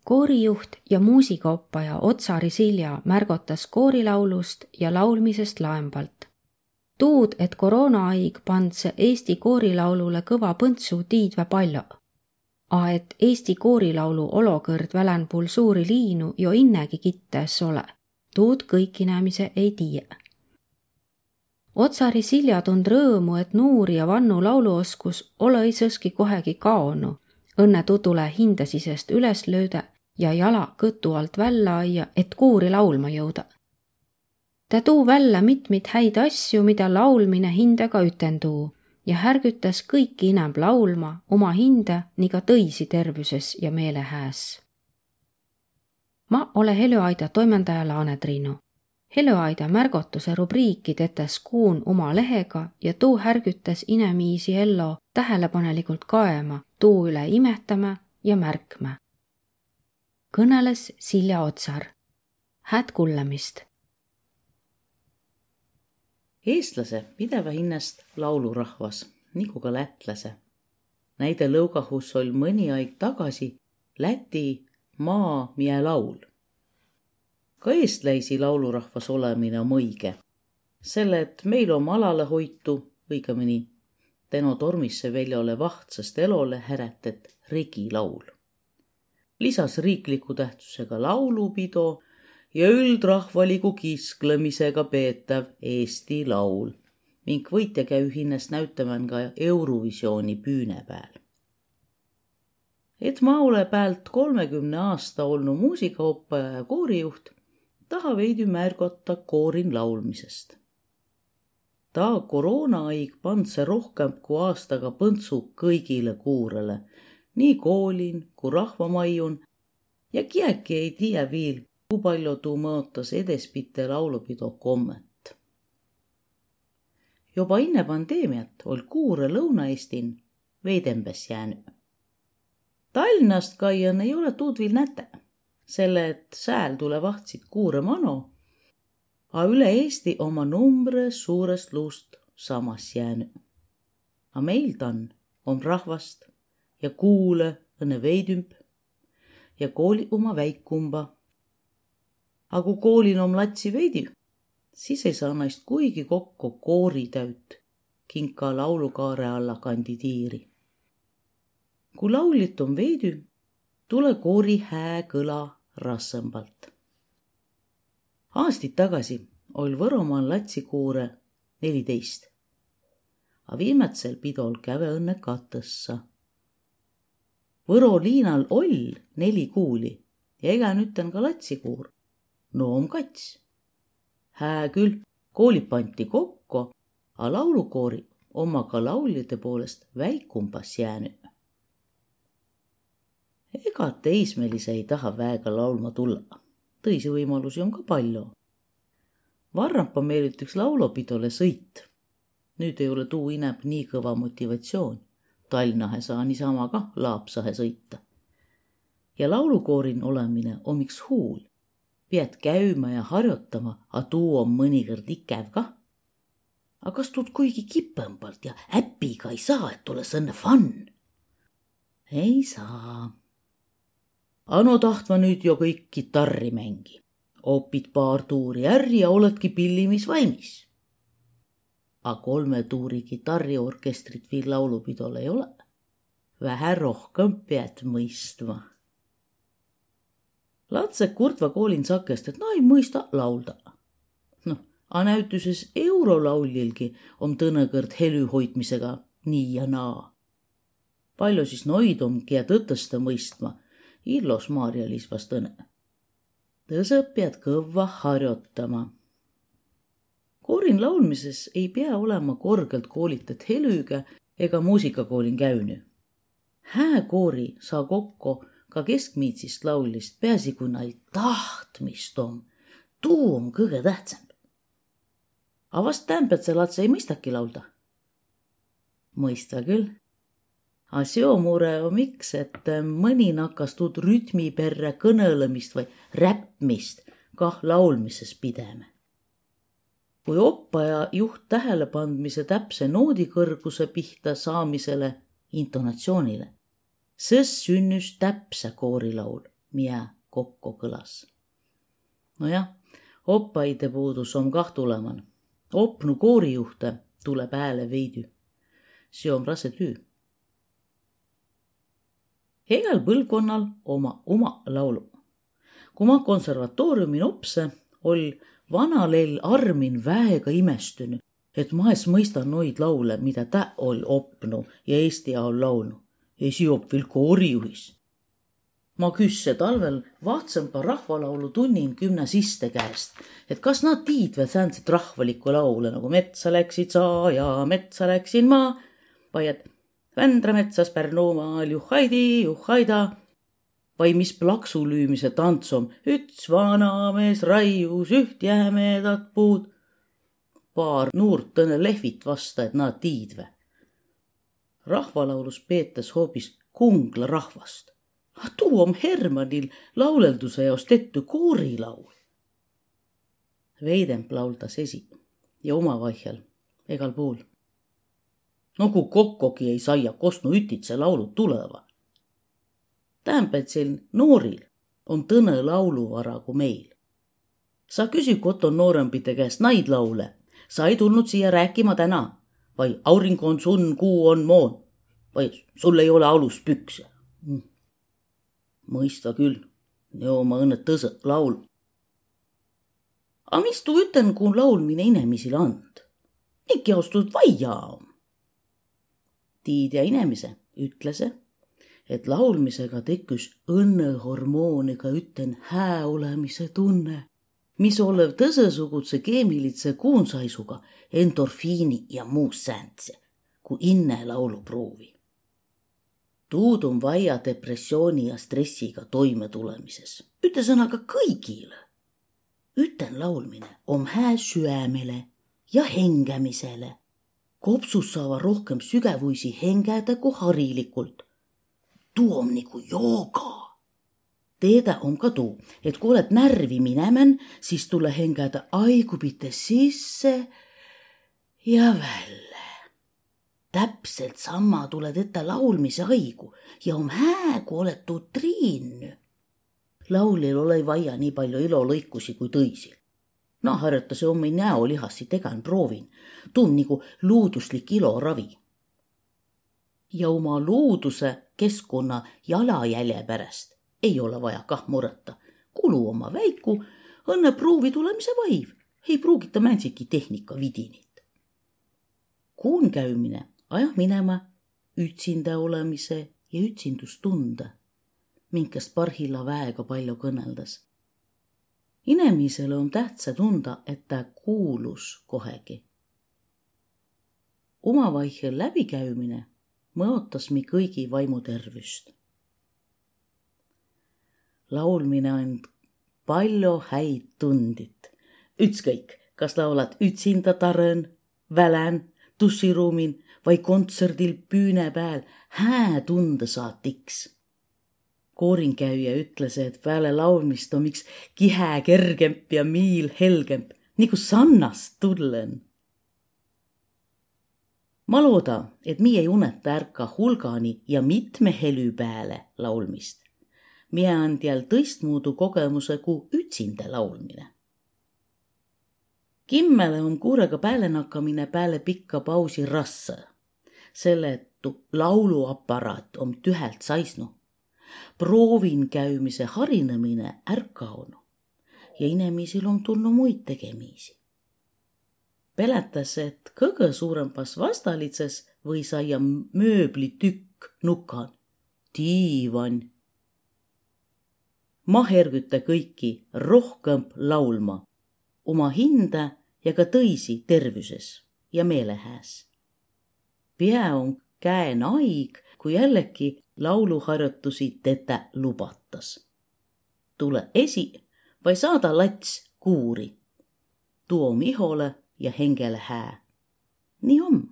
Koorijuht ja muusikaoppaja Otsari Silja märgotas koorilaulust ja laulmisest laembalt. Tuud, et koroonaaig pandse Eesti koorilaulule kõva põntsu tiidvä palju. A et Eesti koorilaulu olokõrd välänpuul suuri liinu jo innegi kittees ole. Tuud kõik inemise ei tiie. Otsari Silja tund rõõmu, et nuuri ja vannu lauluoskus ole ei sõski kohegi kaonu. Õnne tutule hindesisest üles lööda ja jala kõtu alt välja aia, et kuuri laulma jõuda. Ta tuu välja mitmit häid asju, mida laulmine hindega ütenduu ja härgütas kõiki inämb laulma oma hinde nii ka tõisi tervüses ja meelehääs. Ma ole Helüaida toimendaja Laane Triinu. Helüaida märgotuse rubriiki tetes kuun oma lehega ja tuu härgütas inemiisi ello tähelepanelikult kaema, tuu üle imehtama ja märkma. Kõneles Silja Otsar. Hääd kullemist! Eestlase pideva hinnast laulurahvas, nagu ka lätlase. Näide lõugahus oli mõni aeg tagasi Läti maa mie laul. Ka eestläisi laulurahvas olemine on õige, selle et meil on alale hoitu, õigemini tänu tormisse väljale vahtsast elole häretet regilaul. Lisas riikliku tähtsusega laulupido ja üldrahvaliku kisklemisega peetav Eesti laul, ning võitja käü hinnast näütamään ka Eurovisiooni püüne pääl. Et ma ole päält 30 aasta olnud muusikaoppaja ja koorijuht, taha veidi märgata koorin laulmisest. Ta koroonaaig pandse rohkem kui aastaga põntsu kõigile kuurele, nii koolin kui rahvamaiun ja kiäki ei tea viil, kui palju tuu mõotas edespitte laulupido kommet. Joba inne pandeemiat oli kuure Lõuna-Eestin veidembes jäänyt. Tallinnast kaian ei ole tuud viil näte, selle et sääl tule vahtsid kuure mano, a üle Eesti oma numbre suurest luust samas jäänyt. A meil tan on rahvast ja kuule õnne veidümp ja kooli oma väikumba. A kui koolin on latsi veidi, siis ei saa naist kuigi kokku kooritäüt kinka laulukaare alla kandidiiri. Kui laulit on veidi, tule koori hää kõla rassembalt. Aastid tagasi oli Võromaal latsikuure 14, a viimatsel pidol käve õnne katõssa. Võro liinal oll 4 kuuli ja ega nüüdten ka latsikuur. No on kats. Hää küll, koolid panti kokku, a laulukoori oma ka lauljate poolest väikumbas jäänyt. Ega teismelise ei taha väega laulma tulla. Tõisi võimalusi on ka palju. Varrampa meil ütleks laulopidole sõit. Nüüd ei ole tuu inäb nii kõva motivatsioon. Tallinnahe saa niisama ka Laapsahe sõita. Ja laulukoorin olemine on miks huul. Pead käymä ja harjotama, a tuu on mõnikõrd ikäv ka. A kas tuud kuigi kipõmbalt ja äpiga ei saa, et ole sõnne fun? Ei saa. Ano tahtva nüüd jo kõik kitarri mängi. Opid paar tuuri ärri ja oledki pillimis valmis. A 3 tuuri kitarriorkestrit viil laulupidol ei ole. Vähe rohkem pead mõistma. Latsed kurtva koolin sakest, et ei mõista laulda. A näütuses eurolauljilgi on tõnekõrd helü hoidmisega nii ja naa. Palju siis noid ongi ja tõtõsta mõistma, illos Maarja-Liis vast õne. Tõsõp pead kõvva harjotama. Koorin laulmises ei pea olema korgelt koolitet helüga ega muusikakoolin käünü. Hää koori saa kokku ka keskmiitsist laulist, peasi kui nail tahtmist on. Tuu on kõige tähtsam. A vast tämpäd see latse ei mõistaki laulda? Mõista küll. A seo mure on miks, et mõni nakkas tuud rütmi perre kõnõlemist või räppmist kah laulmises pideme. Kui oppaja juht tähelepandmise täpse noodikõrguse pihta saamisele intonatsioonile, sõs sünnüs täpse koorilaul miä kokko kõlas. Nojah, oppaide puudus on kah tuleman. Opnu koorijuhte tule pääle veidi. See on rase tüü. Hegal põlvkonnal oma laulu. Kui ma konservatooriumin opse, oli vanalell Armin väega imestynyt, et ma ees mõistan noid laule, mida tä oli opnu ja Eesti ajal laulnu. Esi op veel koorijuhis. Ma küsse talvel vahtsempa rahvalaulu tunnin gümnasiste käest, et kas nad tiidvad säänset rahvalikku laule, nagu metsa läksid sa ja metsa läksin ma, vai et Vändra metsas Pärnumaal juhaida, vai mis plaksu lüümise tants on, üks vanamees raius üht jämedat puud. Paar nuurt tõne lehvit vasta, et nad tiidve. Rahvalaulus peetas hoopis Kungla rahvast. Tuu on Hermanil laulelduse jaos tehty koorilaul. Veidemp lauldas esi ja omavaihel egal puul. No kui kokkogi ei saia kostnu ütitse laulud tuleva. Tähempät sel nooril on tõne lauluvara kui meil. Sa küsi koton noorempite käest naid laule. Sa ei tulnud siia rääkima täna. Vai aurinko on sun, kuu on moon. Vai sul ei ole alus pükse. Mõista küll. Joo ma õnne tõse laul. A mis tuu üten, kui laulmine inemisile and? Ikki austud vaia on. Tiidja inemise ütlese, et laulmisega tekkis õnnehormooniga üten hää olemise tunne, mis olev tõsesugutse keemilitse kuunsaisuga endorfiini ja muu sääntse, kui inne laulu pruuvi. Tuud on vaja depressiooni ja stressiga toime tulemises. Üte sõnaga kõigile. Üten laulmine on hää süämele ja hengämisele. Kopsus saava rohkem sügevuisi hengäda kui harilikult. Tuu on nagu jooga. Teeda on ka tuu, et kui oled närvi minemän, siis tule hengäda aigupite sisse ja välle. Täpselt sama tuled ette laulmise aigu ja on hää, kui oled tuu triinny. Laulil ole vaja nii palju ilolõikusi kui tõisil. No harjutas omi näolihassi tegan proovin. Tuu on nagu luuduslik iloravi. Ja oma luuduse keskkonna jalajälje pärast ei ole vaja kah mureta. Kulu oma väiku, õnne pruuvi tulemise vaiv. Ei pruugita mänsiki tehnika vidinit. Kuun käymine ajah minema ütsinda olemise ja ütsindustunde, minkast parhilla väega palju kõneldas. Inemisele on tähtsa tunda, et ta kuulus kohegi. Omavaihel läbikäymine mõotas mi kõigi vaimutervüst. Laulmine on palju häid tundit. Ütskõik, kas laulad ütsinda tarön, välän, tussiruumin vai kontserdil püüne pääl, hää tunde saad tiks. Koorinkäija ütles, et peale laulmist on miks kihä kergemp ja miil helgemp, nagu sannast tullen. Ma looda, et mi ei uneta ärka hulgani ja mitme helü pääle laulmist. Mie on teal tõistmuudu kogemuse kui ütsinda laulmine. Kimmele on kuurega pääle nakkamine pääle pikka pausi rassa, selle et lauluaparaat on tühelt saisnu. Proovin käymise harinemine ärkaonu ja inemisil on tulnud muid tegemiisi. Peletas, et kõige suurempas vastalitses või saia mööblitükk nukan, diivan. Ma hergüta kõiki rohkem laulma, oma hinde ja ka tõisi tervüses ja meelehääs. Pea on käen aig, kui jällegi lauluharjoitusi teda lubatas. Tule esi vai saada lats kuuri. Tuo mihole ja hengele hää. Nii on.